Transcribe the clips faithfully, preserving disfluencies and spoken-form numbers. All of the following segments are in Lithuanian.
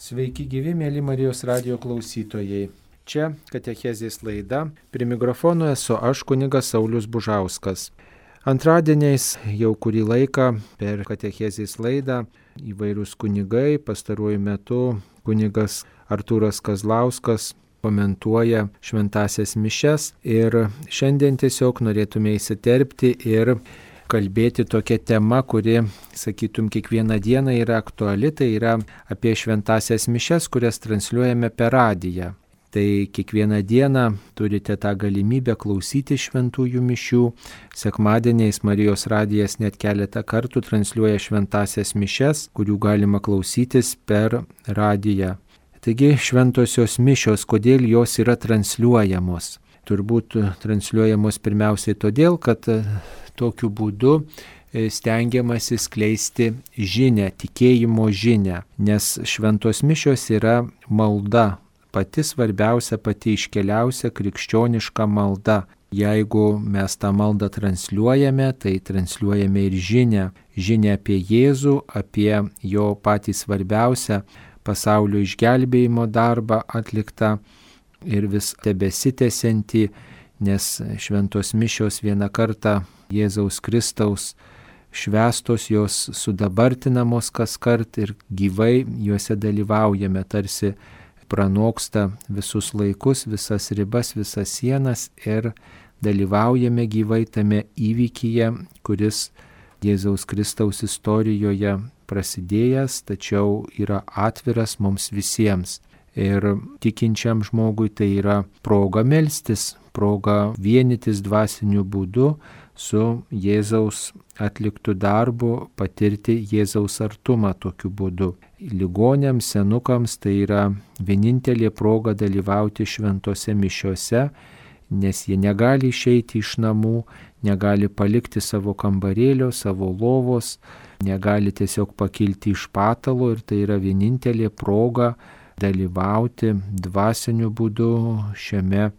Sveiki gyvi, mėly Marijos radijo klausytojai. Čia katechezės laida. Prie mikrofono esu aš, kunigas Saulius Bužauskas. Antradieniais jau kurį laiką per katechezės laidą įvairūs kunigai, pastaruoju metu kunigas Artūras Kazlauskas komentuoja šventąsias mišias ir šiandien tiesiog norėtume įsiterpti ir kalbėti tokia tema, kuri, sakytum, kiekvieną dieną yra aktuali, tai yra apie šventąsias mišias, kurias transliuojame per radiją. Tai kiekvieną dieną turite tą galimybę klausyti šventųjų mišių. Sekmadieniais Marijos radijas net keletą kartų transliuoja šventąsias mišias, kurių galima klausytis per radiją. Taigi šventosios mišios, kodėl jos yra transliuojamos? Turbūt transliuojamos pirmiausiai todėl, kad tokiu būdu stengiamasi skleisti žinią, tikėjimo žinią, nes šventos mišios yra malda, pati svarbiausia, pati iškeliausia krikščioniška malda. Jeigu mes tą maldą transliuojame, tai transliuojame ir žinią, žinią apie Jėzų, apie jo patį svarbiausią pasaulio išgelbėjimo darbą atliktą ir vis tebesitęsiantį, nes šventos mišios vieną kartą Jėzaus Kristaus švęstos, jos sudabartinamos kaskart ir gyvai juose dalyvaujame, tarsi pranoksta visus laikus, visas ribas, visas sienas ir dalyvaujame gyvai tame įvykyje, kuris Jėzaus Kristaus istorijoje prasidėjęs, tačiau yra atviras mums visiems. Ir tikinčiam žmogui tai yra proga melstis, proga vienytis dvasiniu būdu su Jėzaus atliktu darbu, patirti Jėzaus artumą tokiu būdu. Ligoniams, senukams tai yra vienintelė proga dalyvauti šventose mišiose, nes jie negali išeiti iš namų, negali palikti savo kambarėlio, savo lovos, negali tiesiog pakilti iš patalo ir tai yra vienintelė proga dalyvauti dvasiniu būdu šiame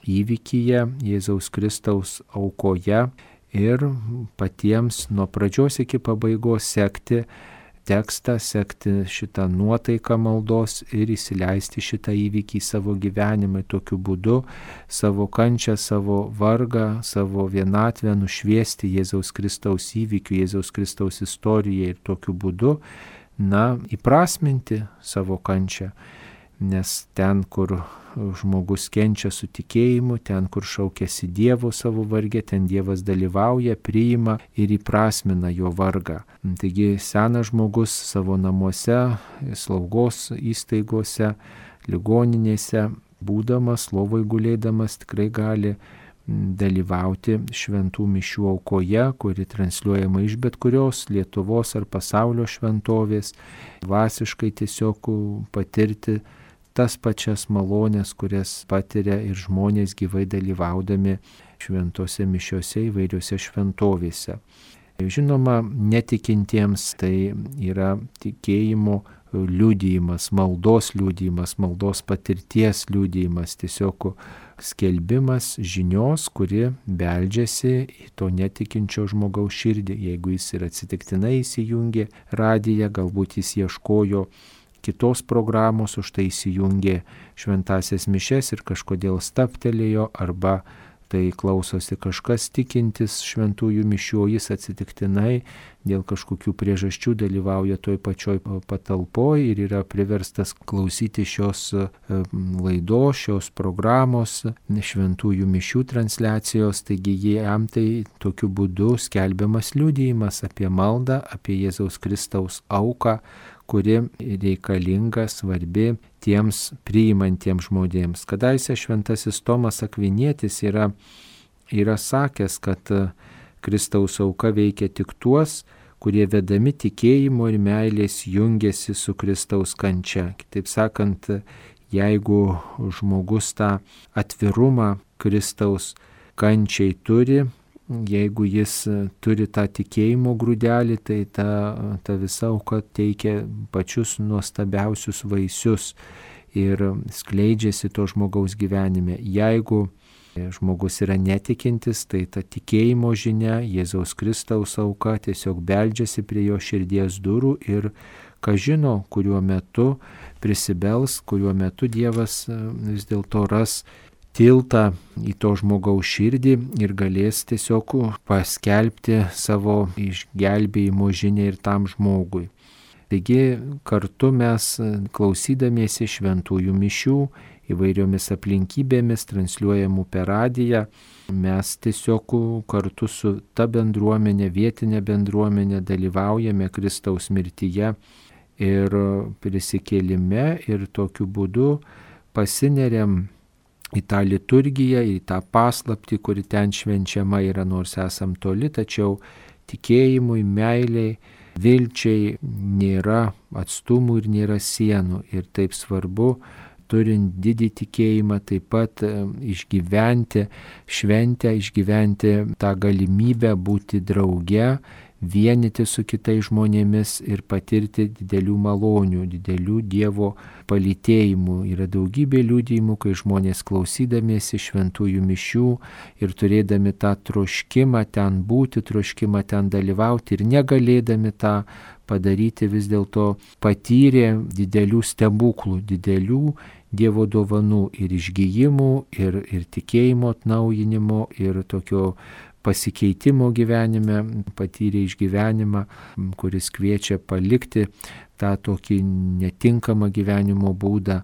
įvykyje, Jėzaus Kristaus aukoje ir patiems nuo pradžios iki pabaigos sekti tekstą, sekti šitą nuotaiką maldos ir įsileisti šitą įvykį į savo gyvenimą. Tokiu būdu savo kančią, savo vargą, savo vienatvę nušviesti Jėzaus Kristaus įvykių, Jėzaus Kristaus istorijai ir tokiu būdu na, įprasminti savo kančią, nes ten, kur žmogus kenčia su tikėjimu, ten, kur šaukiasi Dievo savo varge, ten Dievas dalyvauja, priima ir įprasmina jo vargą. Taigi senas žmogus savo namuose, slaugos įstaigose, ligoninėse, būdamas, lovoj gulėdamas, tikrai gali dalyvauti šventų mišių aukoje, kuri transliuojama iš bet kurios Lietuvos ar pasaulio šventovės, dvasiškai tiesiog patirti tas pačias malonės, kurias patiria ir žmonės gyvai dalyvaudami šventose mišiose įvairiose šventovėse. Žinoma, netikintiems tai yra tikėjimo liudijimas, maldos liudijimas, maldos patirties liudijimas, tiesiog skelbimas žinios, kuri beldžiasi į to netikinčio žmogaus širdį. Jeigu jis ir atsitiktinai įsijungė radiją, galbūt jis ieškojo kitos programos, už tai įsijungė šventąsias mišias ir kažkodėl stabtelėjo, arba tai klausosi kažkas tikintis šventųjų mišių, jis atsitiktinai dėl kažkokių priežasčių dalyvauja toj pačioj patalpoj ir yra priverstas klausyti šios laidos, šios programos, šventųjų mišių transliacijos, taigi jam tai tokiu būdu skelbiamas liudijimas apie maldą, apie Jėzaus Kristaus auką, kuri reikalinga, svarbi tiems priimantiems žmonėms. Kadaise šventasis Tomas Akvinietis yra, yra sakęs, kad Kristaus auka veikia tik tuos, kurie vedami tikėjimo ir meilės jungiasi su Kristaus kančia. Kitaip sakant, jeigu žmogus tą atvirumą Kristaus kančiai turi, jeigu jis turi tą tikėjimo grūdelį, tai ta, ta visa auka teikia pačius nuostabiausius vaisius ir skleidžiasi to žmogaus gyvenime. Jeigu žmogus yra netikintis, tai ta tikėjimo žinia, Jėzaus Kristaus auka tiesiog beldžiasi prie jo širdies durų ir kas žino, kuriuo metu prisibels, kuriuo metu Dievas vis dėlto ras tiltą į to žmogaus širdį ir galės tiesiog paskelbti savo išgelbėjimo žinią ir tam žmogui. Taigi kartu mes, klausydamiesi šventųjų mišių, įvairiomis aplinkybėmis transliuojamų per radiją, mes tiesiog kartu su ta bendruomenė, vietinė bendruomenė dalyvaujame Kristaus mirtyje ir prisikėlime ir tokiu būdu pasineriam į tą liturgiją, į tą paslaptį, kuri ten švenčiama yra, nors esam toli, tačiau tikėjimui, meiliai, vilčiai nėra atstumų ir nėra sienų. Ir taip svarbu, turint didį tikėjimą, taip pat išgyventi šventę, išgyventi tą galimybę būti drauge, vienyti su kitais žmonėmis ir patirti didelių malonių, didelių Dievo palytėjimų. Yra daugybė liudijimų, kai žmonės klausydamiesi šventųjų mišių ir turėdami tą troškimą ten būti, troškimą ten dalyvauti ir negalėdami tą padaryti, vis dėlto patyrė didelių stebuklų, didelių Dievo dovanų ir išgijimų, ir, ir tikėjimo atnaujinimo, ir tokio pasikeitimo gyvenime, patyrė išgyvenimą, kuris kviečia palikti tą tokį netinkamą gyvenimo būdą,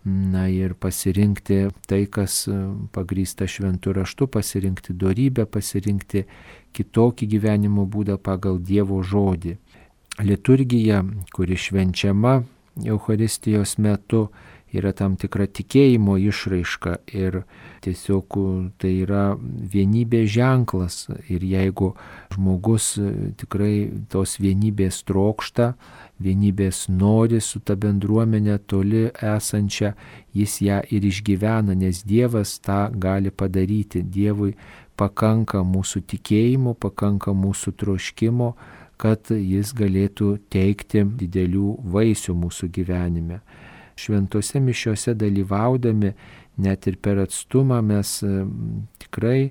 na ir pasirinkti tai, kas pagrįsta šventu raštu, pasirinkti dorybę, pasirinkti kitokį gyvenimo būdą pagal Dievo žodį. Liturgija, kuri švenčiama Eucharistijos metu, yra tam tikra tikėjimo išraiška ir tiesiog tai yra vienybės ženklas. Ir jeigu žmogus tikrai tos vienybės trokšta, vienybės nori su ta bendruomenė toli esančia, jis ją ir išgyvena, nes Dievas tą gali padaryti. Dievui pakanka mūsų tikėjimo, pakanka mūsų troškimo, kad jis galėtų teikti didelių vaisių mūsų gyvenime. Šventose mišiose dalyvaudami, net ir per atstumą, mes tikrai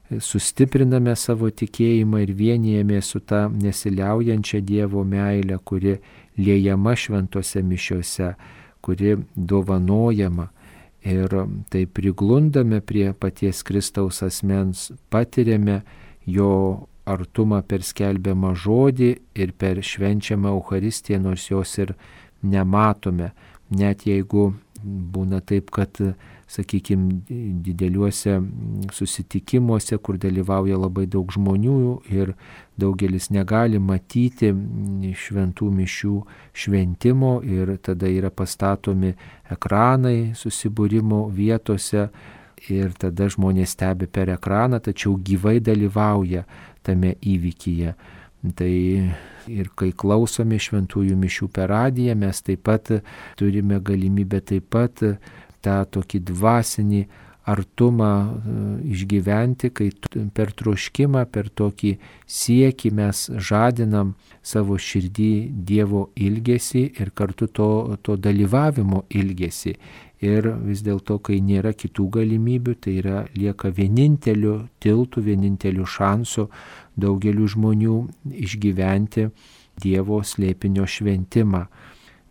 sustipriname savo tikėjimą ir vienijame su ta nesiliaujančia Dievo meile, kuri liejama šventose mišiose, kuri dovanojama. Ir tai priglundame prie paties Kristaus asmens, patiriame jo artumą per skelbiamą žodį ir per švenčiamą Eucharistiją, nors jos ir nematome. Net jeigu būna taip, kad, sakykime, dideliuose susitikimuose, kur dalyvauja labai daug žmonių ir daugelis negali matyti šventų mišių šventimo ir tada yra pastatomi ekranai susibūrimo vietose ir tada žmonės stebi per ekraną, tačiau gyvai dalyvauja tame įvykyje. Tai ir kai klausome šventųjų mišių per radiją, mes taip pat turime galimybę taip pat tą tokį dvasinį artumą išgyventi, kai per troškimą, per tokį siekį mes žadinam savo širdį Dievo ilgesį ir kartu to, to dalyvavimo ilgesį. Ir vis dėlto, kai nėra kitų galimybių, tai yra lieka vieninteliu tiltu, vieninteliu šansu daugeliu žmonių išgyventi Dievo slėpinio šventimą.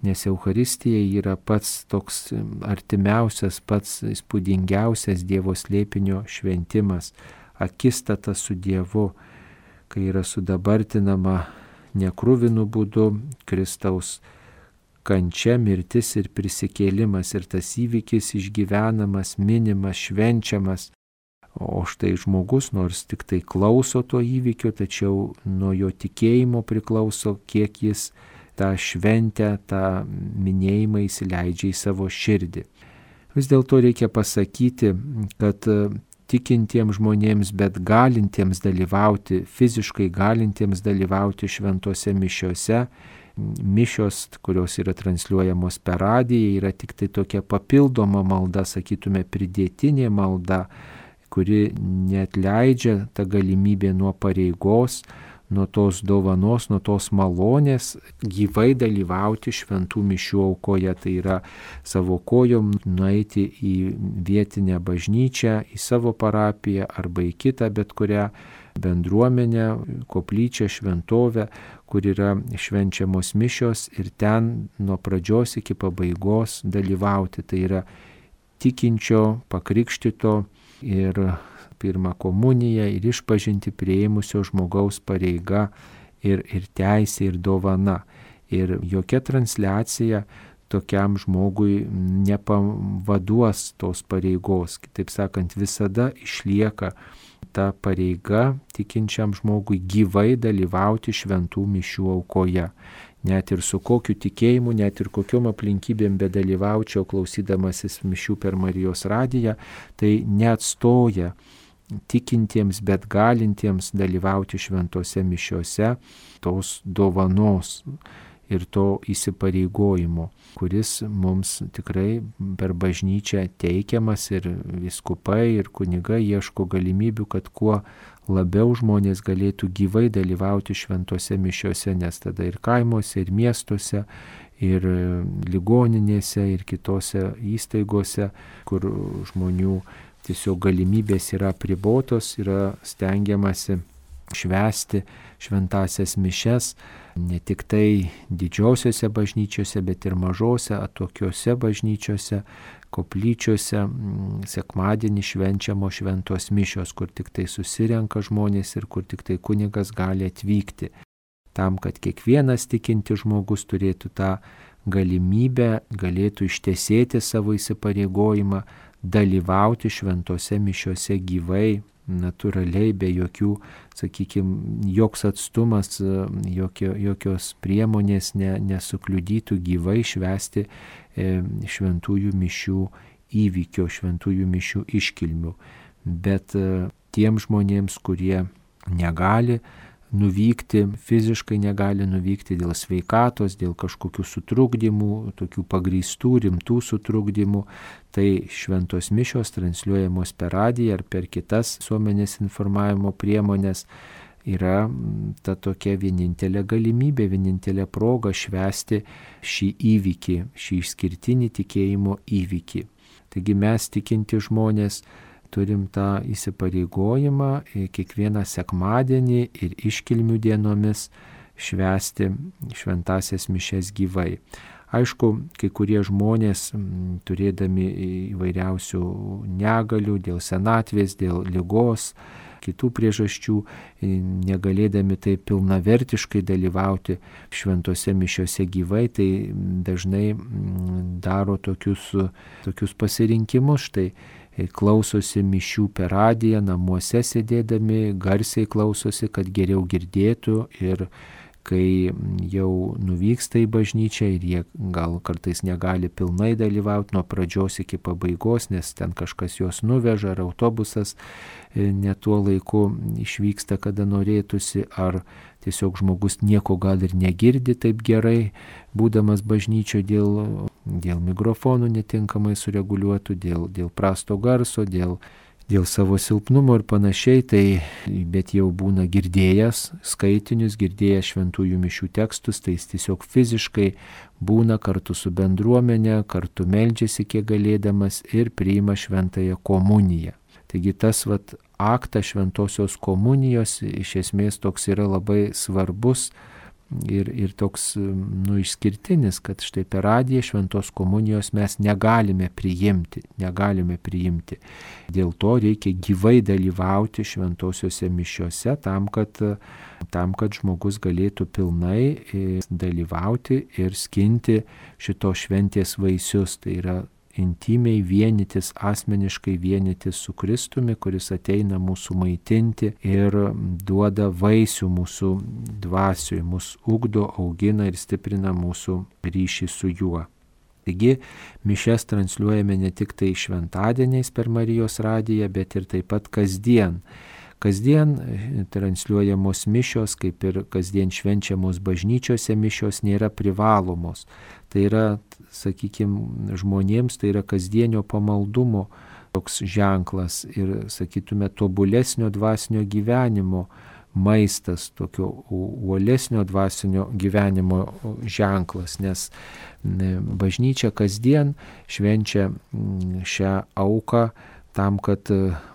Nes Eucharistija yra pats toks artimiausias, pats įspūdingiausias Dievo slėpinio šventimas, akistata su Dievu, kai yra sudabartinama nekruvinu būdu Kristaus kančia, mirtis ir prisikėlimas ir tas įvykis išgyvenamas, minimas, švenčiamas. O štai žmogus, nors tik tai klauso to įvykio, tačiau nuo jo tikėjimo priklauso, kiek jis tą šventę, tą minėjimą įsileidžia į savo širdį. Vis dėlto reikia pasakyti, kad tikintiems žmonėms, bet galintiems dalyvauti, fiziškai galintiems dalyvauti šventose mišiose, mišios, kurios yra transliuojamos per radiją, yra tik tai tokia papildoma malda, sakytume, pridėtinė malda, kuri neatleidžia tą galimybę nuo pareigos, nuo tos dovanos, nuo tos malonės gyvai dalyvauti šventų mišių aukoje. Tai yra savo kojom nueiti į vietinę bažnyčią, į savo parapiją arba į kitą bet kurią bendruomenę, koplyčią, šventovę, kur yra švenčiamos mišios ir ten nuo pradžios iki pabaigos dalyvauti. Tai yra tikinčio, pakrikštito ir pirmą komuniją ir išpažinti priėmusio žmogaus pareiga ir, ir teisė ir dovana. Ir jokia transliacija tokiam žmogui nepavaduos tos pareigos. Kitaip sakant, visada išlieka ta pareiga tikinčiam žmogui gyvai dalyvauti šventų mišių aukoje. Net ir su kokiu tikėjimu, net ir kokiom aplinkybėm bedalyvaučiau klausydamasis mišių per Marijos radiją, tai neatstoja tikintiems, bet galintiems dalyvauti šventose mišiose tos dovanos ir to įsipareigojimo, kuris mums tikrai per bažnyčią teikiamas ir vyskupai ir kunigai ieško galimybių, kad kuo labiau žmonės galėtų gyvai dalyvauti šventose mišiose, nes tada ir kaimuose, ir miestuose, ir ligoninėse, ir kitose įstaigose, kur žmonių tiesiog galimybės yra apribotos, yra stengiamasi švęsti šventasias mišes, ne tik tai didžiosiose bažnyčiose, bet ir mažose, atokiose bažnyčiose, koplyčiose, sekmadienį švenčiamo šventos mišios, kur tik tai susirenka žmonės ir kur tik tai kunigas gali atvykti. Tam, kad kiekvienas tikinti žmogus turėtų tą galimybę, galėtų ištesėti savo įsipareigojimą, dalyvauti šventose mišiose gyvai, natūraliai, be jokių, sakykime, joks atstumas, jokio, jokios priemonės ne, nesukliudytų gyvai švęsti e, šventųjų mišių įvykio, šventųjų mišių iškilmių. Bet e, tiem žmonėms, kurie negali nuvykti, fiziškai negali nuvykti dėl sveikatos, dėl kažkokių sutrukdymų, tokių pagrįstų, rimtų sutrukdymų, tai šventos mišios transliuojamos per radiją ar per kitas visuomenės informavimo priemonės yra ta tokia vienintelė galimybė, vienintelė proga švęsti šį įvykį, šį išskirtinį tikėjimo įvykį. Taigi mes tikinti žmonės turim tą įsipareigojimą kiekvieną sekmadienį ir iškilmių dienomis švęsti šventasias mišias gyvai. Aišku, kai kurie žmonės, turėdami įvairiausių negalių dėl senatvės, dėl ligos, kitų priežasčių, negalėdami taip pilnavertiškai dalyvauti šventose mišiose gyvai, tai dažnai daro tokius, tokius pasirinkimus. Štai klausosi mišių per radiją, namuose sėdėdami, garsiai klausosi, kad geriau girdėtų, ir kai jau nuvyksta į bažnyčią ir jie gal kartais negali pilnai dalyvauti nuo pradžios iki pabaigos, nes ten kažkas juos nuveža, ar autobusas ne tuo laiku išvyksta, kada norėtųsi, ar tiesiog žmogus nieko gal ir negirdi taip gerai, būdamas bažnyčioje dėl, dėl mikrofonų netinkamai sureguliuotų, dėl, dėl prasto garso, dėl, dėl savo silpnumo ir panašiai, tai bet jau būna girdėjęs skaitinius, girdėjęs šventųjų mišių tekstus, tai jis tiesiog fiziškai būna kartu su bendruomenė, kartu meldžiasi kiek galėdamas ir priima šventąją komuniją. Taigi tas vat aktas šventosios komunijos iš esmės toks yra labai svarbus ir, ir toks nu, išskirtinis, kad štai per radiją šventos komunijos mes negalime priimti, negalime priimti. Dėl to reikia gyvai dalyvauti šventosiuose mišiuose tam, kad, tam, kad žmogus galėtų pilnai dalyvauti ir skinti šitos šventės vaisius. Tai yra intimiai vienytis, asmeniškai vienytis su Kristumi, kuris ateina mūsų maitinti ir duoda vaisių mūsų dvasiui, mūsų ugdo, augina ir stiprina mūsų ryšį su juo. Taigi, mišias transliuojame ne tik tai šventadieniais per Marijos radiją, bet ir taip pat kasdien. Kasdien transliuojamos mišios, kaip ir kasdien švenčiamos bažnyčiose mišios, nėra privalomos. Tai yra, sakykime, žmonėms tai yra kasdienio pamaldumo toks ženklas ir, sakytume, tobulesnio dvasinio gyvenimo maistas, tokio uolesnio dvasinio gyvenimo ženklas, nes bažnyčia kasdien švenčia šią auką, tam, kad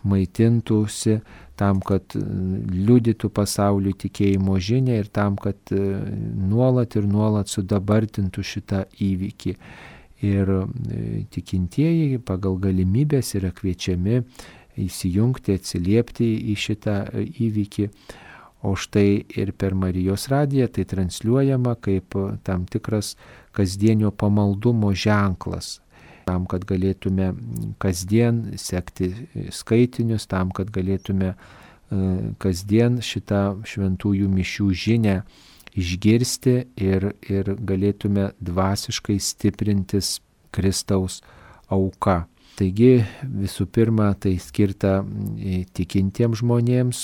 maitintųsi, tam, kad liudytų pasauliu tikėjimo žinią ir tam, kad nuolat ir nuolat sudabartintų šitą įvykį. Ir tikintieji pagal galimybės yra kviečiami įsijungti, atsiliepti į šitą įvykį. O štai ir per Marijos radiją tai transliuojama kaip tam tikras kasdienio pamaldumo ženklas. Tam, kad galėtume kasdien sekti skaitinius, tam, kad galėtume kasdien šitą šventųjų mišių žinią išgirsti ir, ir galėtume dvasiškai stiprintis Kristaus auka. Taigi visų pirma, tai skirta tikintiems žmonėms,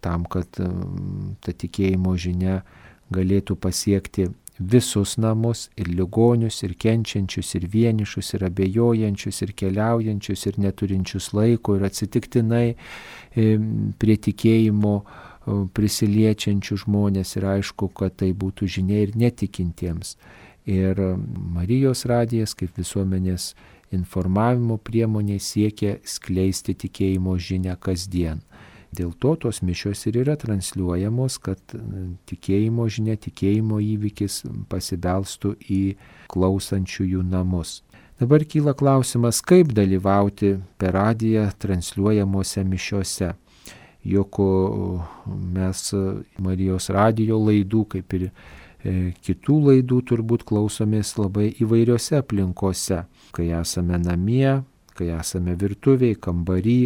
tam, kad ta tikėjimo žinia galėtų pasiekti visus namus, ir ligonius, ir kenčiančius, ir vienišus, ir abejojančius, ir keliaujančius, ir neturinčius laiko, ir atsitiktinai prie tikėjimo prisiliečiančių žmonės, ir aišku, kad tai būtų žinia ir netikintiems. Ir Marijos radijas kaip visuomenės informavimo priemonė siekia skleisti tikėjimo žinią kasdien. Dėl to tos mišios ir yra transliuojamos, kad tikėjimo žinia, tikėjimo įvykis pasibelstų į klausančiųjų namus. Dabar kyla klausimas, kaip dalyvauti per radiją transliuojamuose mišiose. Juk mes Marijos radijo laidų, kaip ir kitų laidų, turbūt klausomės labai įvairiose aplinkose, kai esame namie, kai esame virtuvėj, kambarį,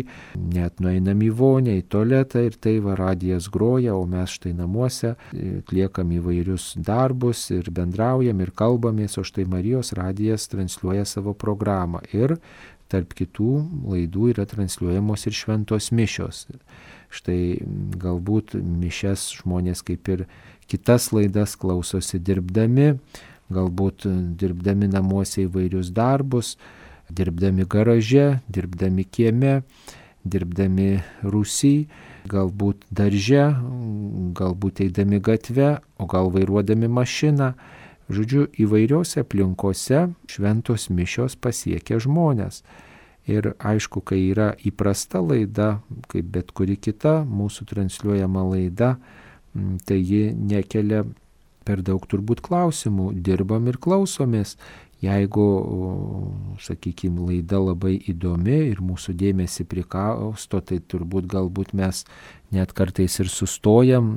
net nueinam į vonę, į tualetą ir tai va radijas groja, o mes štai namuose atliekam įvairius darbus ir bendraujam ir kalbamės, o štai Marijos radijas transliuoja savo programą. Ir tarp kitų laidų yra transliuojamos ir šventos mišios. Štai galbūt mišias žmonės kaip ir kitas laidas klausosi dirbdami, galbūt dirbdami namuose įvairius darbus, dirbdami garaže, dirbdami kieme, dirbdami rūsy, galbūt darže, galbūt eidami gatve, o gal vairuodami mašiną. Žodžiu, įvairiose aplinkose šventos mišios pasiekia žmonės. Ir aišku, kai yra įprasta laida, kaip bet kuri kita mūsų transliuojama laida, tai ji nekelia per daug turbūt klausimų, dirbam ir klausomės. Jeigu, sakykime, laida labai įdomi ir mūsų dėmesį prikausto, tai turbūt galbūt mes net kartais ir sustojam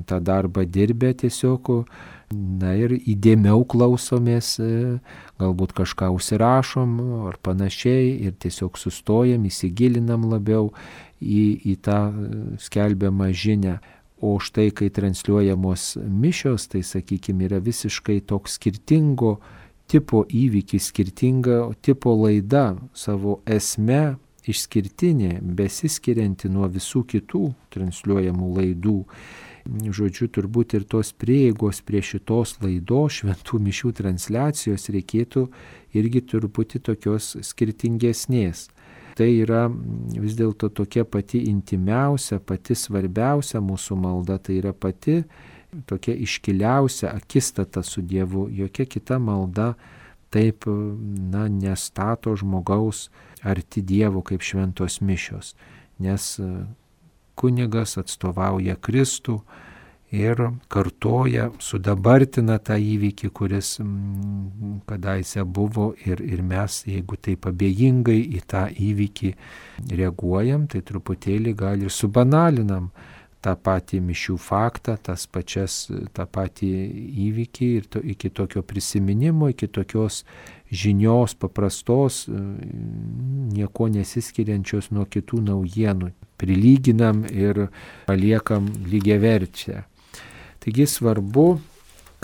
tą darbą dirbę tiesiog, na ir įdėmiau klausomės, galbūt kažką užsirašom ar panašiai ir tiesiog sustojam, įsigilinam labiau į, į tą skelbiamą žinią. O štai, kai transliuojamos mišios, tai, sakykime, yra visiškai toks skirtingo tipo įvykis, skirtinga tipo laida, savo esme išskirtinė, besiskirianti nuo visų kitų transliuojamų laidų. Žodžiu, turbūt ir tos prieigos prie šitos laidos šventų mišių transliacijos reikėtų irgi truputį tokios skirtingesnės. Tai yra vis dėlto tokia pati intimiausia, pati svarbiausia mūsų malda, tai yra pati tokia iškiliausia akistata su Dievu. Jokia kita malda taip, na, nestato žmogaus arti Dievo kaip šventos mišios, nes kunigas atstovauja Kristų ir kartoja, sudabartina tą įvykį, kuris kadaise buvo ir, ir mes, jeigu taip abejingai į tą įvykį reaguojam, tai truputėlį gal ir subanalinam tą patį mišių faktą, tas pačias, tą patį įvykį ir to, iki tokio prisiminimo, iki tokios žinios paprastos, nieko nesiskiriančios nuo kitų naujienų. Prilyginam ir paliekam lygiaverčią. Taigi svarbu,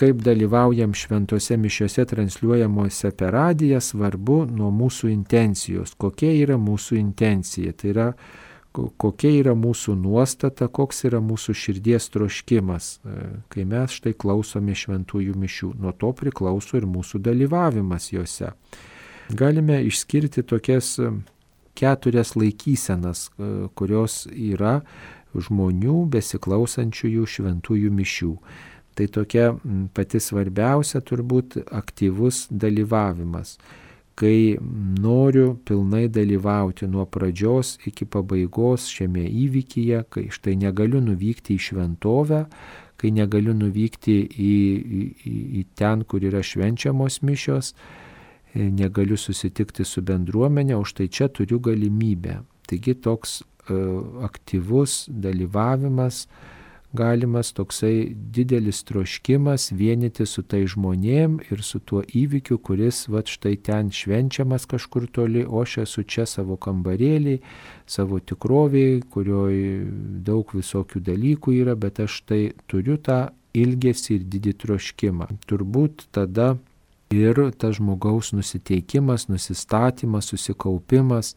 kaip dalyvaujam šventose mišiose transliuojamuose per radiją, svarbu nuo mūsų intencijos. Kokia yra mūsų intencija? Tai yra, kokia yra mūsų nuostata, koks yra mūsų širdies troškimas, kai mes štai klausome šventųjų mišių. Nuo to priklauso ir mūsų dalyvavimas juose. Galime išskirti tokias keturias laikysenas, kurios yra žmonių besiklausančiųjų šventųjų mišių. Tai tokia pati svarbiausia turbūt aktyvus dalyvavimas, kai noriu pilnai dalyvauti nuo pradžios iki pabaigos šiame įvykyje, kai štai negaliu nuvykti į šventovę, kai negaliu nuvykti į, į, į ten, kur yra švenčiamos mišios, negaliu susitikti su bendruomenė, o štai čia turiu galimybę. Taigi toks uh, aktyvus dalyvavimas, galimas toksai didelis troškimas vienyti su tai žmonėm ir su tuo įvykiu, kuris va štai ten švenčiamas kažkur toli, o aš esu čia savo kambarėlį, savo tikrovėje, kurioje daug visokių dalykų yra, bet aš tai turiu tą ilgesį ir didį troškimą. Turbūt tada ir tas žmogaus nusiteikimas, nusistatymas, susikaupimas,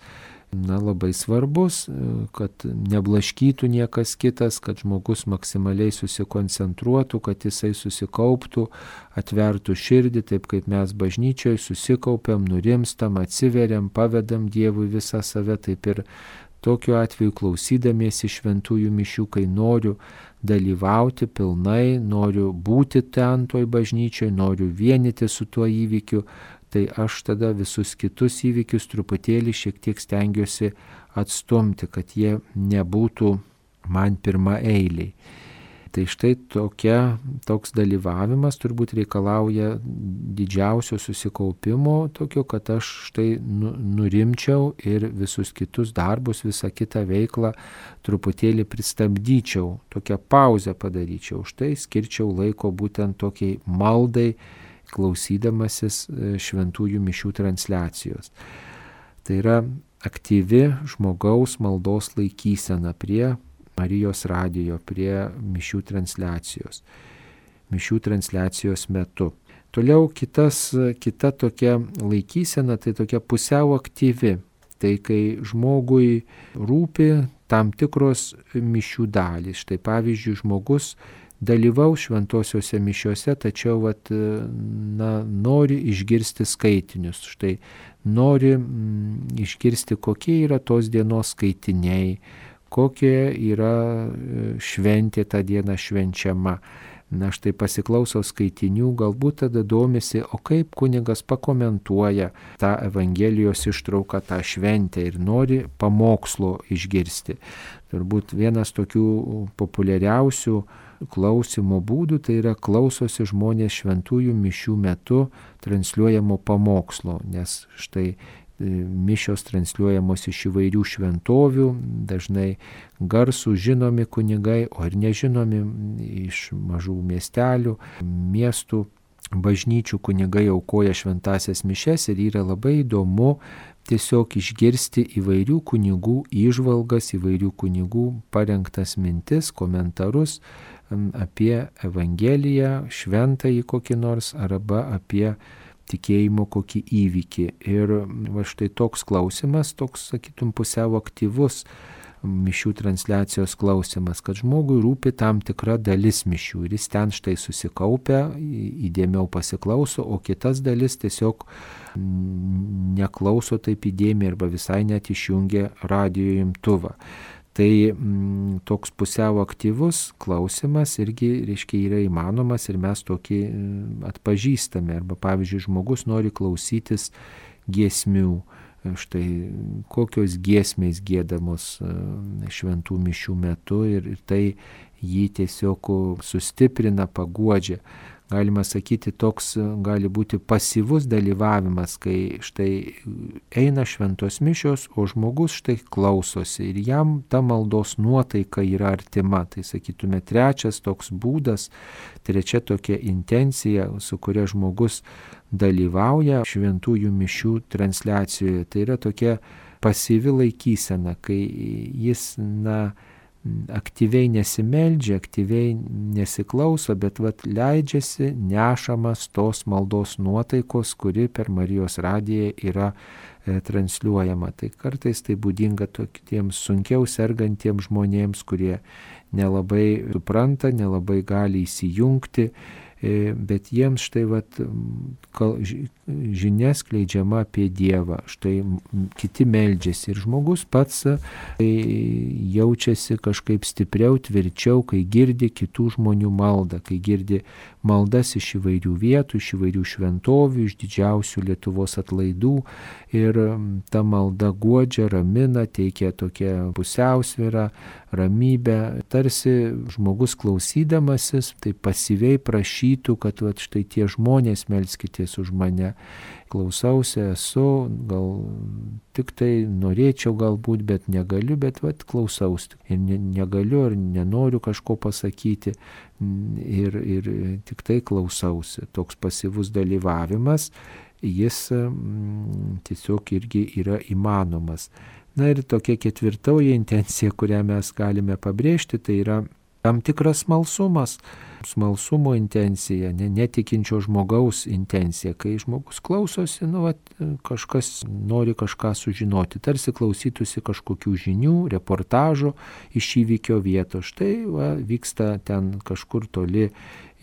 na, labai svarbus, kad neblaškytų niekas kitas, kad žmogus maksimaliai susikoncentruotų, kad jisai susikauptų, atvertų širdį, taip kaip mes bažnyčioje susikaupiam, nurimstam, atsiveriam, pavedam Dievui visą save, taip ir tokiu atveju klausydamiesi šventųjų mišių, kai noriu dalyvauti pilnai, noriu būti ten toj bažnyčioje, noriu vienyti su tuo įvykiu, tai aš tada visus kitus įvykius truputėlį šiek tiek stengiuosi atstumti, kad jie nebūtų man pirma eiliai. Tai štai tokia, toks dalyvavimas turbūt reikalauja didžiausio susikaupimo, tokio, kad aš štai nu, nurimčiau ir visus kitus darbus, visą kitą veiklą truputėlį pristabdyčiau, tokią pauzę padaryčiau. Štai skirčiau laiko būtent tokiai maldai, klausydamasis šventųjų mišių transliacijos. Tai yra aktyvi žmogaus maldos laikysena prie Marijos radijo, prie mišių transliacijos, mišių transliacijos metu. Toliau kitas, kita tokia laikysena, tai tokia pusiau aktyvi. Tai kai žmogui rūpi tam tikros mišių dalys. Štai pavyzdžiui, žmogus dalyvaus šventosiuose mišiuose, tačiau vat, na, nori išgirsti skaitinius. Štai nori mm, išgirsti, kokie yra tos dienos skaitiniai, kokia yra šventė tą dieną švenčiama. Na štai pasiklauso skaitinių, galbūt tada domisi, o kaip kunigas pakomentuoja tą Evangelijos ištrauką, tą šventę ir nori pamokslo išgirsti. Turbūt vienas tokių populiariausių klausimo būdų, tai yra klausosi žmonės šventųjų mišių metu transliuojamo pamokslo, nes štai mišios transliuojamos iš įvairių šventovių, dažnai garsų žinomi kunigai, o ir nežinomi iš mažų miestelių, miestų, bažnyčių kunigai aukoja šventasias mišias ir yra labai įdomu tiesiog išgirsti įvairių kunigų įžvalgas, įvairių kunigų parengtas mintis, komentarus apie Evangeliją, šventąjį kokį nors arba apie tikėjimo kokį įvykį. Ir va štai toks klausimas, toks, sakytum, pusiau aktyvus mišių transliacijos klausimas, kad žmogui rūpi tam tikra dalis mišių ir jis ten štai susikaupia, įdėmiau pasiklauso, o kitas dalis tiesiog neklauso taip įdėmiai arba visai net išjungia radijo imtuvą. Tai m, toks pusiau aktyvus klausimas irgi, reiškia, yra įmanomas ir mes tokį atpažįstame. Arba, pavyzdžiui, žmogus nori klausytis giesmių. Štai kokios giesmės giedamos šventų mišių metu ir, ir tai jį tiesiog sustiprina, paguodžia. Galima sakyti, toks gali būti pasyvus dalyvavimas, kai štai eina šventos mišios, o žmogus štai klausosi ir jam ta maldos nuotaika yra artima. Tai sakytume, trečias toks būdas, trečia tokia intencija, su kuria žmogus dalyvauja šventųjų mišių transliacijoje. Tai yra tokia pasyvi laikysena, kai jis, na, aktyviai nesimeldžia, aktyviai nesiklauso, bet vat leidžiasi nešamas tos maldos nuotaikos, kuri per Marijos radiją yra e, transliuojama. Tai kartais tai būdinga tokiems sunkiau sergantiems žmonėms, kurie nelabai supranta, nelabai gali įsijungti bet jiems štai vat, žinia skleidžiama apie Dievą, štai kiti meldžiasi ir žmogus pats jaučiasi kažkaip stipriau, tvirčiau, kai girdi kitų žmonių maldą, kai girdi maldas iš įvairių vietų, iš įvairių šventovių, iš didžiausių Lietuvos atlaidų ir ta malda guodžia, ramina, teikia tokią pusiausvyrą, ramybę, tarsi žmogus klausydamasis, tai pasyviai prašytų, kad vat, štai tie žmonės melskitės už mane. Klausausi, esu, gal tik tai norėčiau galbūt, bet negaliu, bet vat, klausausi. Ir ne, negaliu ar nenoriu kažko pasakyti ir, ir tik tai klausausi. Toks pasyvus dalyvavimas, jis m, tiesiog irgi yra įmanomas. Na ir tokia ketvirtoji intencija, kurią mes galime pabrėžti, tai yra tam tikras smalsumas, smalsumo intencija, ne, netikinčio žmogaus intencija, kai žmogus klausosi, nu, vat, kažkas nori kažką sužinoti, tarsi klausytųsi kažkokių žinių, reportažo iš įvykio vietos. Štai va, vyksta ten kažkur toli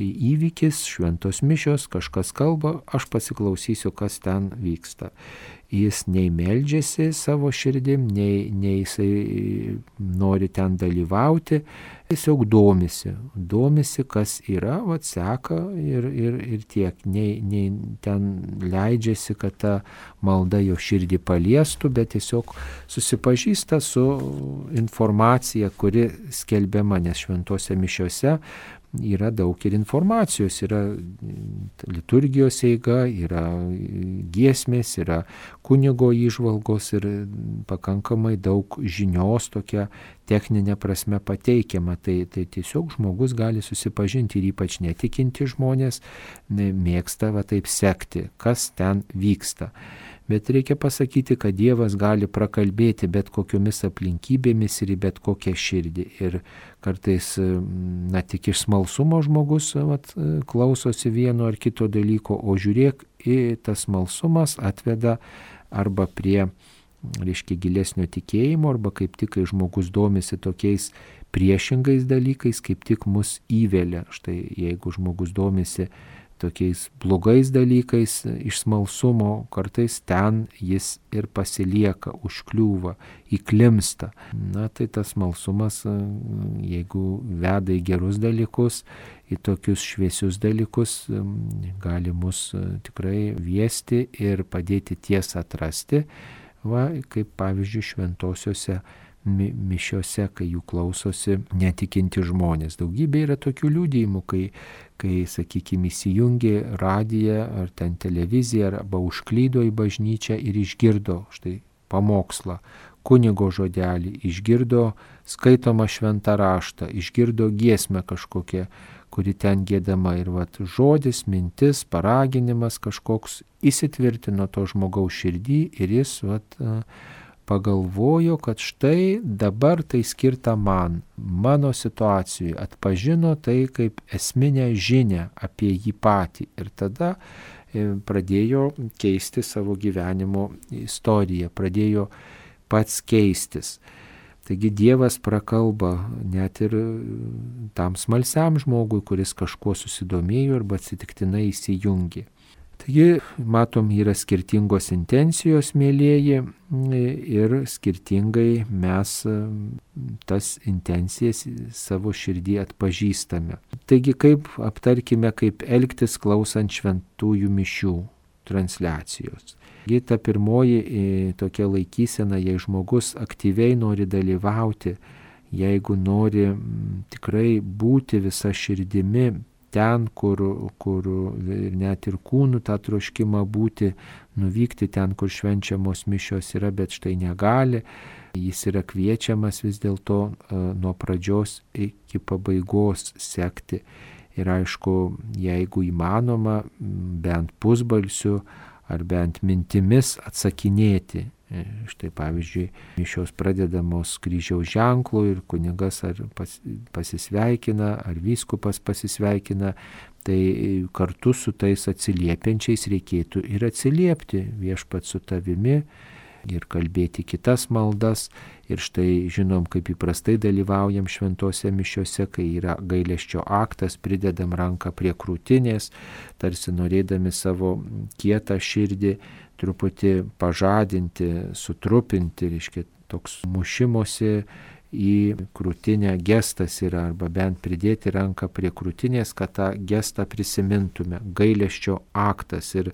įvykis, šventos mišios, kažkas kalba, aš pasiklausysiu, kas ten vyksta. Jis nei meldžiasi savo širdim, nei, nei jisai nori ten dalyvauti, tiesiog domisi, domisi, kas yra, vat seka ir, ir, ir tiek, nei, nei ten leidžiasi, kad ta malda jo širdį paliestų, bet tiesiog susipažįsta su informacija, kuri skelbiama, nes šventose mišiose yra daug ir informacijos, yra liturgijos eiga, yra giesmės, yra kunigo įžvalgos ir pakankamai daug žinios tokia techninė prasme pateikiama. Tai, tai tiesiog žmogus gali susipažinti ir ypač netikinti žmonės mėgsta va taip sekti, kas ten vyksta. Bet reikia pasakyti, kad Dievas gali prakalbėti bet kokiomis aplinkybėmis ir į bet kokią širdį. Ir kartais, na, tik iš smalsumo žmogus vat, klausosi vieno ar kito dalyko, o žiūrėk, tas smalsumas atveda arba prie, reiškia, gilesnio tikėjimo, arba kaip tik, kai žmogus domisi tokiais priešingais dalykais, kaip tik mus įvelia. Štai jeigu žmogus domisi tokiais blogais dalykais iš smalsumo, kartais ten jis ir pasilieka, užkliūva, įklimsta. Na tai tas smalsumas, jeigu veda į gerus dalykus, į tokius šviesius dalykus, gali mus tikrai viesti ir padėti tiesą atrasti, va, kaip pavyzdžiui šventosiuose mi, mišiose, kai jų klausosi netikinti žmonės. Daugybė yra tokių liudijimų, kai kai, sakykime, įsijungė radiją ar ten televiziją arba užklydo į bažnyčią ir išgirdo štai pamokslą, kunigo žodelį, išgirdo skaitomą šventą raštą, išgirdo giesmę kažkokią, kuri ten giedama ir vat, žodis, mintis, paraginimas kažkoks įsitvirtino to žmogaus širdį ir jis vat, pagalvojo, kad štai dabar tai skirta man, mano situacijai, atpažino tai kaip esminę žinią apie jį patį ir tada pradėjo keisti savo gyvenimo istoriją, pradėjo pats keistis. Taigi Dievas prakalba net ir tam smalsiam žmogui, kuris kažkuo susidomėjo arba atsitiktinai įsijungė. Taigi, matom, yra skirtingos intencijos, mėlieji, ir skirtingai mes tas intencijas savo širdį atpažįstame. Taigi, kaip aptarkime, kaip elgtis klausant šventųjų mišių transliacijos. Taigi, ta pirmoji tokia laikysena, jei žmogus aktyviai nori dalyvauti, jeigu nori tikrai būti visa širdimi, ten, kur, kur net ir kūnų tą troškimą būti, nuvykti ten, kur švenčiamos mišios yra, bet štai negali, jis yra kviečiamas vis dėlto nuo pradžios iki pabaigos sekti. Ir aišku, jeigu įmanoma, bent pusbalsiu ar bent mintimis atsakinėti. Štai pavyzdžiui, mišios pradedamos kryžiaus ženklu ir kunigas ar pas, pasisveikina, ar vyskupas pasisveikina, tai kartu su tais atsiliepiančiais reikėtų ir atsiliepti viešpat su tavimi, ir kalbėti kitas maldas. Ir štai žinom, kaip įprastai dalyvaujam šventose mišiose, kai yra gailesčio aktas, pridedam ranką prie krūtinės, tarsi norėdami savo kietą širdį truputį pažadinti, sutrupinti, reiškia toks mušimosi į krūtinę gestas yra, arba bent pridėti ranką prie krūtinės, kad tą gestą prisimintume. Gailesčio aktas. Ir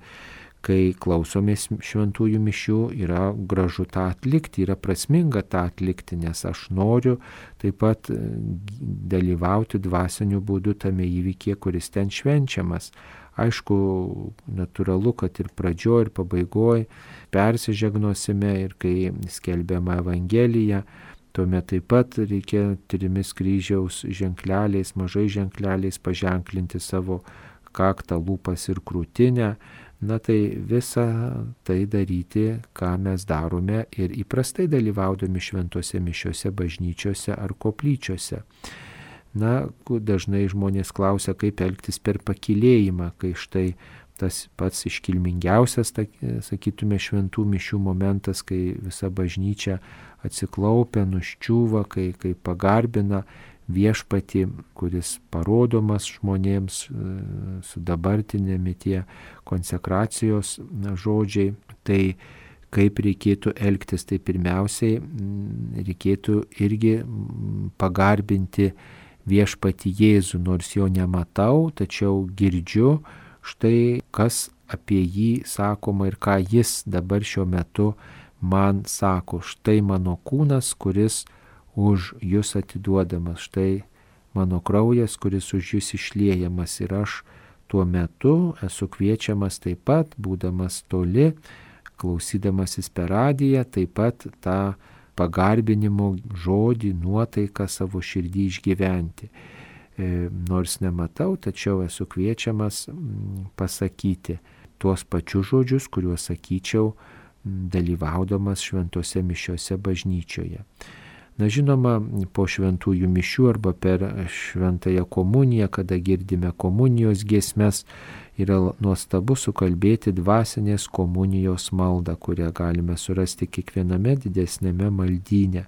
kai klausomės šventųjų mišių, yra gražu tą atlikti, yra prasminga tą atlikti, nes aš noriu taip pat dalyvauti dvasiniu būdu tame įvykyje, kuris ten švenčiamas. Aišku, natūralu, kad ir pradžioj, ir pabaigoj persižegnosime, ir kai skelbiama Evangelija, tuomet taip pat reikia trimis kryžiaus ženkleliais, mažai ženkleliais paženklinti savo kaktą, lūpas ir krūtinę. Na tai visą tai daryti, ką mes darome ir įprastai dalyvaudami šventose mišiose, bažnyčiose ar koplyčiose. Na, dažnai žmonės klausia, kaip elgtis per pakylėjimą, kai štai tas pats iškilmingiausias, sakytume, šventų mišių momentas, kai visa bažnyčia atsiklaupia, nuščiūva, kai, kai pagarbina viešpatį, kuris parodomas žmonėms su dabartinėmi tie konsekracijos žodžiai. Tai kaip reikėtų elgtis, tai pirmiausiai reikėtų irgi pagarbinti viešpatį Jėzų, nors jo nematau, tačiau girdžiu štai, kas apie jį sakoma ir ką jis dabar šiuo metu man sako. Štai mano kūnas, kuris už jūs atiduodamas, štai mano kraujas, kuris už jūs išliejamas, ir aš tuo metu esu kviečiamas taip pat, būdamas toli, klausydamasis per radiją, taip pat tą pagarbinimo žodį, nuotaiką savo širdį išgyventi. E, nors nematau, tačiau esu kviečiamas pasakyti tuos pačius žodžius, kuriuos sakyčiau dalyvaudamas šventose mišiose bažnyčioje. Na žinoma, po šventųjų mišių arba per šventąją komuniją, kada girdime komunijos giesmes, yra nuostabu sukalbėti dvasinės komunijos maldą, kurią galime surasti kiekviename didesnėme maldyne.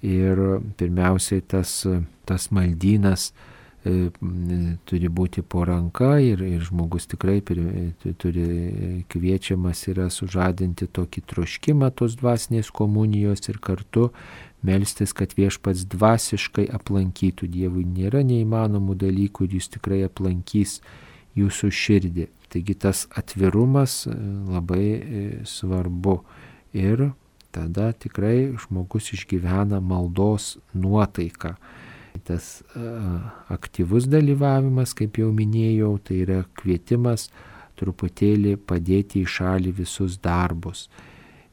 Ir pirmiausiai tas, tas maldynas e, turi būti po ranka ir, ir žmogus tikrai pir, turi kviečiamas yra sužadinti tokį troškimą tos dvasinės komunijos ir kartu melstis, kad viešpats dvasiškai aplankytų. Dievui nėra neįmanomų dalykų ir jis tikrai aplankys jūsų širdį. Taigi tas atvirumas labai svarbu ir tada tikrai žmogus išgyvena maldos nuotaiką. Tas aktyvus dalyvavimas, kaip jau minėjau, tai yra kvietimas truputėlį padėti į šalį visus darbus.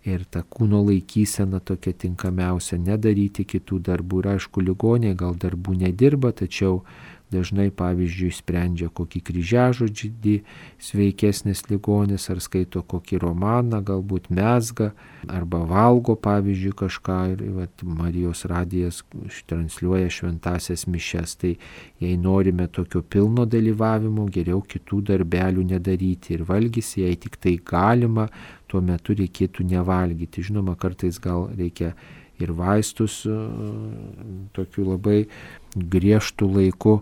Ir ta kūno laikysena tokia tinkamiausia, nedaryti kitų darbų. Ir aišku, ligoniai gal darbų nedirba, tačiau dažnai, pavyzdžiui, sprendžia kokį kryžiažodžį sveikesnis ligonis, ar skaito kokį romaną, galbūt mezga, arba valgo, pavyzdžiui, kažką. Ir vat, Marijos radijas transliuoja šventasias mišias. Tai jei norime tokio pilno dalyvavimo, geriau kitų darbelių nedaryti. Ir valgys, jei tik tai galima, tuo metu reikėtų nevalgyti. Žinoma, kartais gal reikia ir vaistus tokiu labai griežtų laiku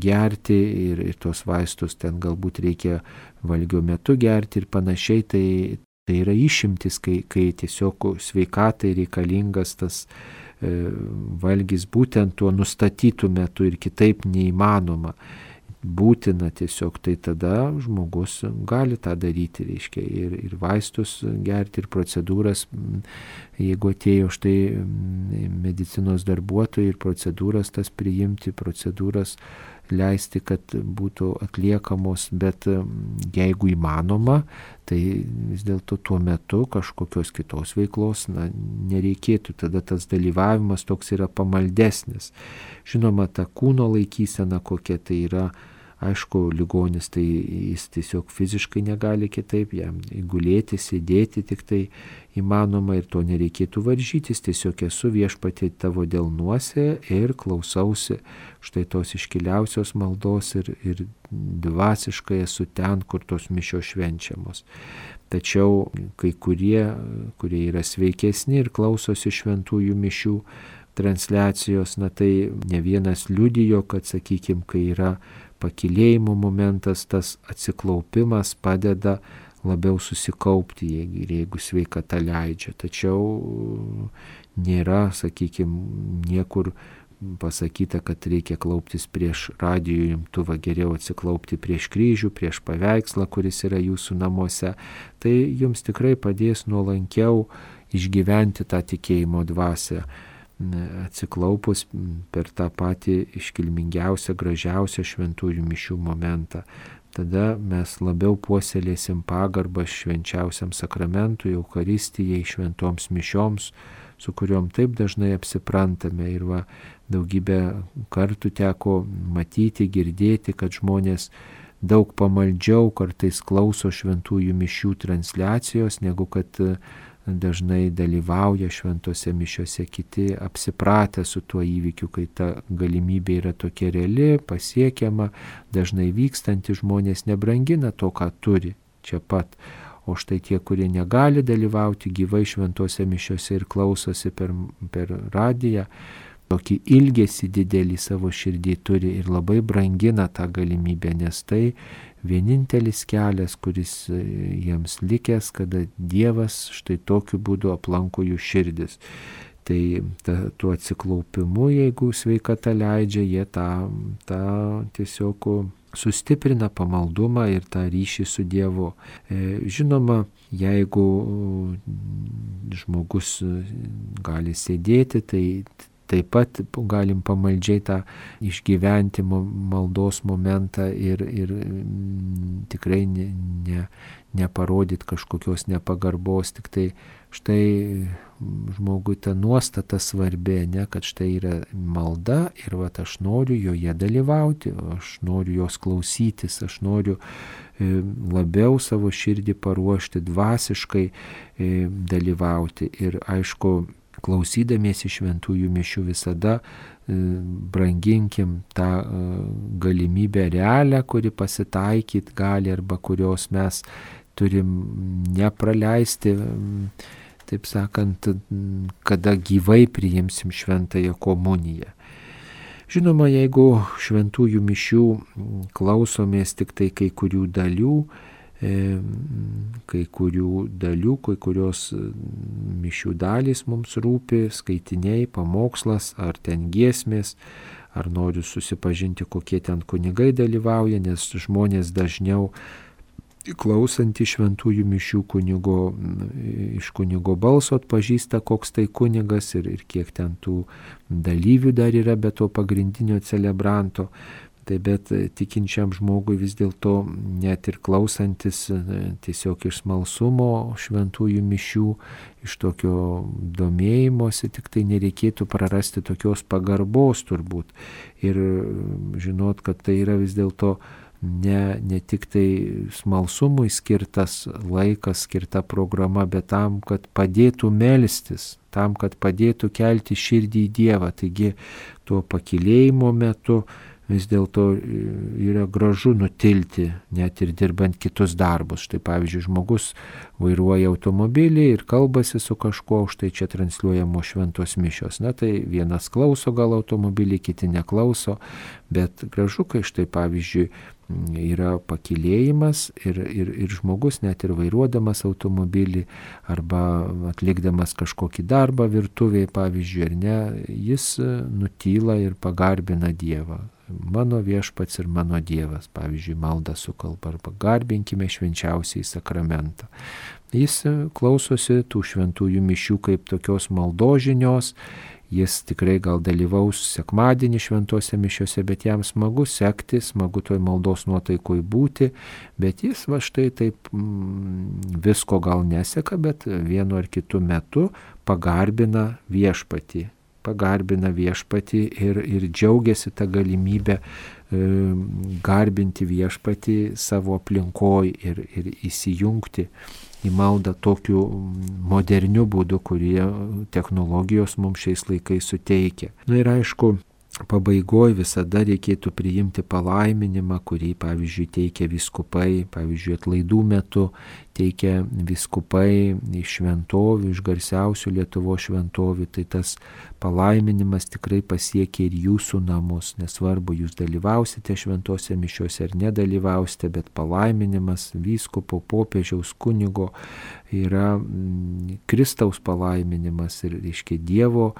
gerti ir, ir tos vaistus ten galbūt reikia valgio metu gerti ir panašiai. Tai, tai yra išimtis, kai, kai tiesiog sveikatai reikalingas tas e, valgis būtent tuo nustatytų metu ir kitaip neįmanoma. Būtina tiesiog, tai tada žmogus gali tą daryti, reiškia, ir, ir vaistus gerti, ir procedūras, jeigu atėjo štai medicinos darbuotojai, ir procedūras tas priimti, procedūras leisti, kad būtų atliekamos, bet jeigu įmanoma, tai vis dėlto tuo metu kažkokios kitos veiklos na, nereikėtų, tada tas dalyvavimas toks yra pamaldesnis. Žinoma, ta kūno laikysena kokia tai yra Aišku, ligonis tai jis tiesiog fiziškai negali kitaip, jam gulėti, sėdėti tik tai įmanoma ir to nereikėtų varžytis, tiesiog esu viešpatie tavo delnuose ir klausausi štai tos iškiliausios maldos ir, ir dvasiškai esu ten, kur tos mišios švenčiamos. Tačiau kai kurie, kurie yra sveikesni ir klausosi šventųjų mišių transliacijos, na tai ne vienas liudijo, kad, sakykime, kai yra pakylėjimo momentas, tas atsiklaupimas padeda labiau susikaupti, jeigu, jeigu sveikata leidžia. Tačiau nėra, sakykime, niekur pasakyta, kad reikia klauptis prieš radijo imtuvą, geriau atsiklaupti prieš kryžių, prieš paveikslą, kuris yra jūsų namuose. Tai jums tikrai padės nuolankiau išgyventi tą tikėjimo dvasią, atsiklaupus per tą patį iškilmingiausią, gražiausią šventųjų mišių momentą. Tada mes labiau puoselėsim pagarbą švenčiausiam sakramentui, Eucharistijai, šventoms mišioms, su kuriuom taip dažnai apsiprantame. Ir va, daugybę kartų teko matyti, girdėti, kad žmonės daug pamaldžiau kartais klauso šventųjų mišių transliacijos, negu kad dažnai dalyvauja šventose mišiose kiti, apsipratę su tuo įvykiu, kai ta galimybė yra tokia reali, pasiekiama, dažnai vykstanti, žmonės nebrangina to, ką turi čia pat. O štai tie, kurie negali dalyvauti gyvai šventose mišiose ir klausosi per, per radiją, tokį ilgesį didelį savo širdį turi ir labai brangina tą galimybę, nes tai vienintelis kelias, kuris jiems likęs, kada Dievas štai tokiu būdu aplanko jų širdis. Tai ta, tuo atsiklaupimu, jeigu sveikata leidžia, jie tą, tą tiesiog sustiprina pamaldumą ir tą ryšį su Dievu. Žinoma, jeigu žmogus gali sėdėti, tai taip pat galim pamaldžiai tą išgyventi maldos momentą ir, ir tikrai ne, ne, neparodyti kažkokios nepagarbos, tik tai štai žmogui ta nuostata svarbi, ne, kad štai yra malda ir vat aš noriu joje dalyvauti, aš noriu jos klausytis, aš noriu labiau savo širdį paruošti, dvasiškai dalyvauti. Ir aišku, klausydamiesi šventųjų mišių visada branginkim tą galimybę realią, kuri pasitaikyt gali arba kurios mes turim nepraleisti, taip sakant, kada gyvai priimsim šventąją komuniją. Žinoma, jeigu šventųjų mišių klausomės tik tai kai kurių dalių, kai kurių dalių, kai kurios mišių dalys mums rūpi, skaitiniai, pamokslas, ar ten giesmės, ar noriu susipažinti, kokie ten kunigai dalyvauja, nes žmonės dažniau klausantį šventųjų mišių kunigo, iš kunigo balso atpažįsta, koks tai kunigas ir, ir kiek ten tų dalyvių dar yra be to pagrindinio celebranto. Tai bet tikinčiam žmogui vis dėlto net ir klausantis tiesiog iš smalsumo šventųjų mišių, iš tokio domėjimosi, tik tai nereikėtų prarasti tokios pagarbos turbūt. Ir žinot, kad tai yra vis dėlto ne, ne tik tai smalsumui skirtas laikas, skirta programa, bet tam, kad padėtų melstis, tam, kad padėtų kelti širdį į Dievą. Taigi tuo pakylėjimo metu vis dėlto yra gražu nutilti, net ir dirbant kitus darbus. Štai pavyzdžiui, žmogus vairuoja automobilį ir kalbasi su kažkuo, štai čia transliuojamos šventos mišios. Na tai vienas klauso gal automobilį, kiti neklauso, bet gražu, kai štai pavyzdžiui yra pakylėjimas ir, ir, ir žmogus net ir vairuodamas automobilį arba atlikdamas kažkokį darbą virtuvėje, pavyzdžiui, ar ne, jis nutyla ir pagarbina Dievą. Mano viešpats ir mano Dievas, pavyzdžiui, maldą sukalba, arba garbinkime švenčiausiai sakramentą. Jis klausosi tų šventųjų mišių kaip tokios maldožinios, jis tikrai gal dalyvaus sekmadienį šventose mišiose, bet jam smagu sekti, smagu toj maldos nuotaikoj būti, bet jis va štai taip mm, visko gal neseka, bet vienu ar kitu metu pagarbina viešpatį, pagarbina viešpatį ir, ir džiaugiasi tą galimybę garbinti viešpatį savo aplinkoj ir, ir įsijungti į maldą tokiu moderniu būdu, kurie technologijos mums šiais laikais suteikia. Na ir aišku, pabaigoje visada reikėtų priimti palaiminimą, kurį, pavyzdžiui, teikia vyskupai, pavyzdžiui, atlaidų metu teikia vyskupai iš šventovių, iš garsiausių Lietuvos šventovių, tai tas palaiminimas tikrai pasiekia ir jūsų namus, nesvarbu, jūs dalyvausite šventose mišiose ar nedalyvausite, bet palaiminimas vyskupo, popiežiaus, kunigo yra Kristaus palaiminimas ir, reiškia, Dievo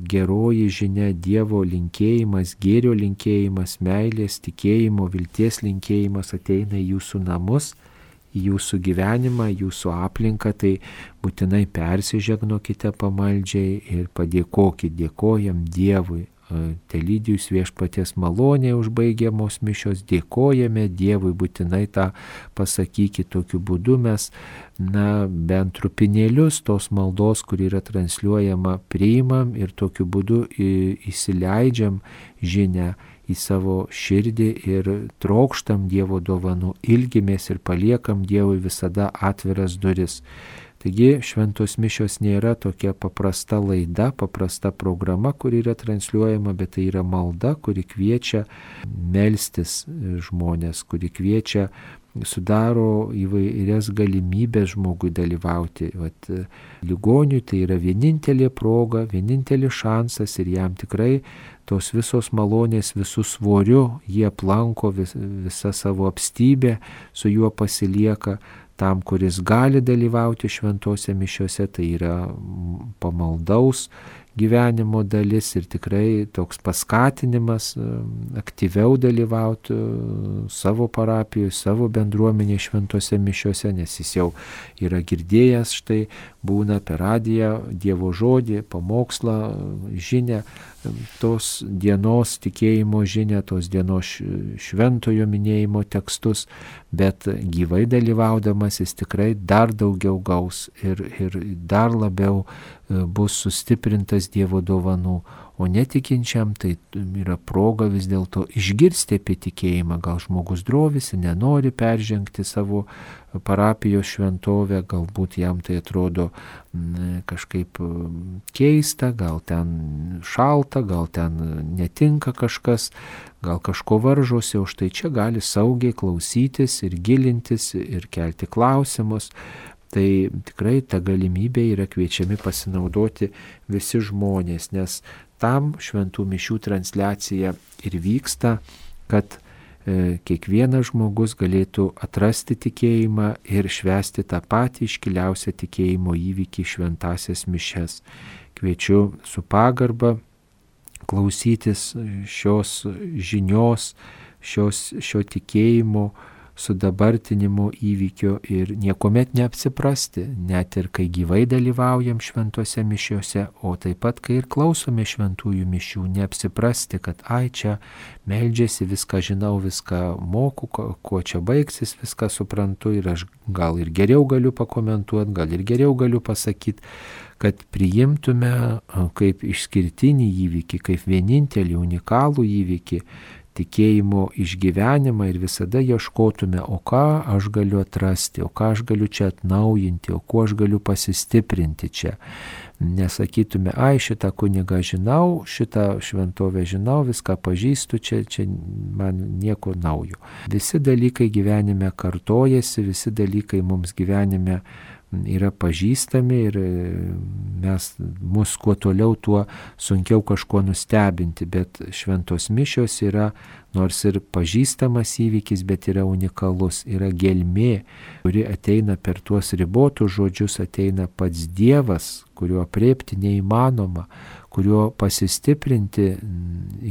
geroji žinia, Dievo linkėjimas, gėrio linkėjimas, meilės, tikėjimo, vilties linkėjimas ateina į jūsų namus, į jūsų gyvenimą, jūsų aplinką, tai būtinai persižegnokite pamaldžiai ir padėkokit, dėkojam Dievui. Telydi jūs viešpaties malonėje užbaigiamos mišios, dėkojame Dievui, būtinai tą pasakykit, tokiu būdu mes, na, bent trupinėlius tos maldos, kuri yra transliuojama, priimam ir tokiu būdu įsileidžiam žinią į savo širdį ir trokštam Dievo dovanų, ilgimės ir paliekam Dievui visada atviras duris. Taigi šventos mišios nėra tokia paprasta laida, paprasta programa, kuri yra transliuojama, bet tai yra malda, kuri kviečia melstis žmonės, kuri kviečia, sudaro įvairias galimybės žmogui dalyvauti. Vat, ligoniui tai yra vienintelė proga, vienintelis šansas ir jam tikrai tos visos malonės visų svoriu jie aplanko, vis, visą savo apstybę su juo pasilieka. Tam, kuris gali dalyvauti šventose mišiose, tai yra pamaldaus gyvenimo dalis ir tikrai toks paskatinimas aktyviau dalyvauti savo parapijoje, savo bendruomenėje šventose mišiose, nes jis jau yra girdėjęs, štai būna per radiją Dievo žodį, pamokslą, žinią, tos dienos tikėjimo žinią, tos dienos šventojo minėjimo tekstus, bet gyvai dalyvaudamas jis tikrai dar daugiau gaus ir, ir dar labiau bus sustiprintas Dievo dovanų, o netikinčiam tai yra proga vis dėlto išgirsti apie tikėjimą. Gal žmogus drovisi, nenori peržengti savo parapijos šventovę, galbūt jam tai atrodo kažkaip keista, gal ten šalta, gal ten netinka kažkas, gal kažko varžosi, o štai čia gali saugiai klausytis ir gilintis ir kelti klausimus. Tai tikrai ta galimybė yra kviečiami pasinaudoti visi žmonės, nes tam šventų mišių transliacija ir vyksta, kad e, kiekvienas žmogus galėtų atrasti tikėjimą ir švęsti tą patį iškiliausią tikėjimo įvykį šventasias mišias. Kviečiu su pagarba klausytis šios žinios, šios, šio tikėjimo sudabartinimo įvykio ir niekuomet neapsiprasti, net ir kai gyvai dalyvaujam šventose mišiose, o taip pat kai ir klausome šventųjų mišių, neapsiprasti, kad ai čia meldžiasi, viską žinau, viską moku, kuo čia baigsis, viską suprantu ir aš gal ir geriau galiu pakomentuoti, gal ir geriau galiu pasakyti, kad priimtume kaip išskirtinį įvykį, kaip vienintelį unikalų įvykį, tikėjimo išgyvenimą ir visada ieškotume, o ką aš galiu atrasti, o ką aš galiu čia atnaujinti, o kuo aš galiu pasistiprinti čia. Nesakytume, ai šitą kunigą žinau, šitą šventovę žinau, viską pažįstu, čia, čia man nieko naujo. Visi dalykai gyvenime kartojasi, visi dalykai mums gyvenime yra pažįstami ir mes mus kuo toliau, tuo sunkiau kažko nustebinti, bet šventos mišios yra nors ir pažįstamas įvykis, bet yra unikalus, yra gelmė, kuri ateina per tuos ribotus žodžius, ateina pats Dievas, kurio aprėpti neįmanoma, kurio pasistiprinti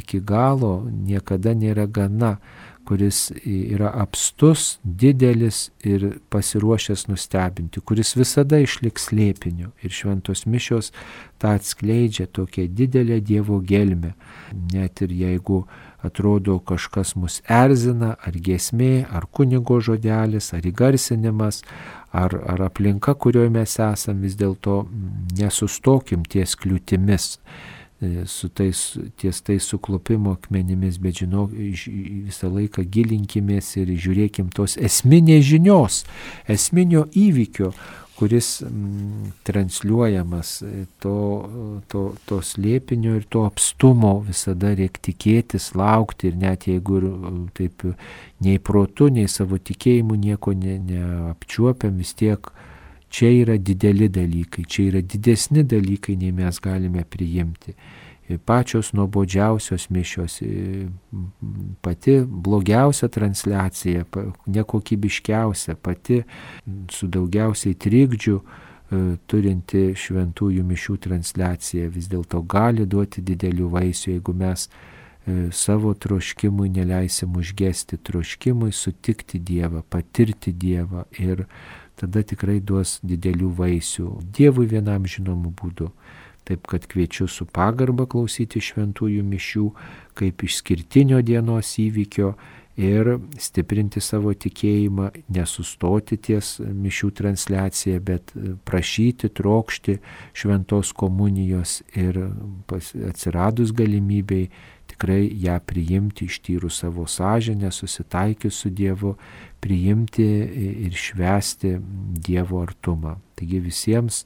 iki galo niekada nėra gana, kuris yra apstus, didelis ir pasiruošęs nustebinti, kuris visada išliks slėpiniu. Ir šventos mišios tą atskleidžia, tokią didelę Dievo gelmę. Net ir jeigu atrodo kažkas mus erzina, ar giesmė, ar kunigo žodelis, ar įgarsinimas, ar, ar aplinka, kurioje mes esam, vis dėlto nesustokim ties kliūtimis, su tais, ties tais suklupimo akmenimis, bet žinok, visą laiką gilinkimės ir žiūrėkim tos esminės žinios, esminio įvykio, kuris m, transliuojamas, to, to, to slėpinio ir to apstumo visada reikia tikėtis, laukti, ir net jeigu ir taip nei protu, nei savo tikėjimu nieko ne, neapčiuopiam, vis tiek čia yra dideli dalykai, čia yra didesni dalykai, nei mes galime priimti. Pačios nuobodžiausios mišios, pati blogiausia transliacija, nekokybiškiausia, pati su daugiausiai trikdžių turinti šventųjų mišių transliacija vis dėlto gali duoti didelių vaisių, jeigu mes savo troškimui neleisim užgesti, troškimui sutikti Dievą, patirti Dievą, ir tada tikrai duos didelių vaisių Dievui vienam žinomu būdu. Taip kad kviečiu su pagarba klausyti šventųjų mišių kaip išskirtinio dienos įvykio ir stiprinti savo tikėjimą, nesustoti ties mišių transliacija, bet prašyti, trokšti šventos komunijos ir atsiradus galimybei tikrai ją priimti, ištyrus savo sąžinę, susitaikius su Dievu, priimti ir švęsti Dievo artumą. Taigi visiems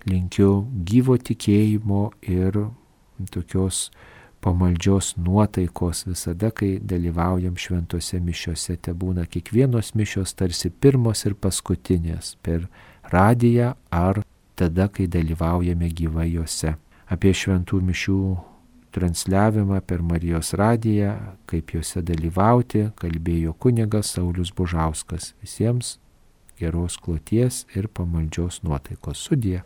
linkiu gyvo tikėjimo ir tokios pamaldžios nuotaikos visada, kai dalyvaujam šventose mišiose. Te būna kiekvienos mišios tarsi pirmos ir paskutinės per radiją ar tada, kai dalyvaujame gyvai jose. Apie šventų mišių transliavimą per Marijos radiją, kaip jose dalyvauti, kalbėjo kunigas Saulius Bužauskas. Visiems geros kloties ir pamaldžios nuotaikos. Sudie.